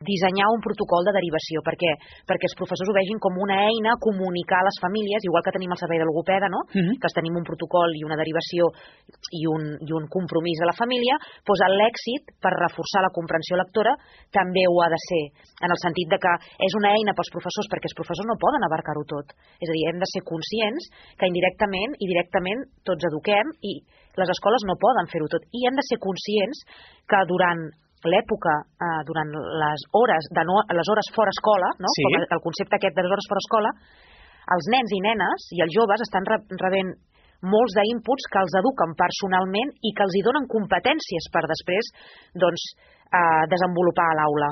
dissenyar un protocol de derivació. Per què? Perquè els professors ho vegin com una eina a comunicar a les famílies, igual que tenim el servei de logopeda, no? Que tenim un protocol i una derivació i un compromís de la família, doncs l'èxit per reforçar la comprensió lectora també ho ha de ser, en el sentit de que és una eina pels professors, perquè els professors no poden abarcar-ho tot. És a dir, hem de ser conscients que indirectament i directament tots eduquem i les escoles no poden fer-ho tot. I hem de ser conscients que durant l'època, durant les hores fora escola, no? Com el concepte aquest de les hores fora escola, els nens i nenes i els joves estan rebent molts d'inputs que els eduquen personalment i que els hi donen competències per després desenvolupar a l'aula.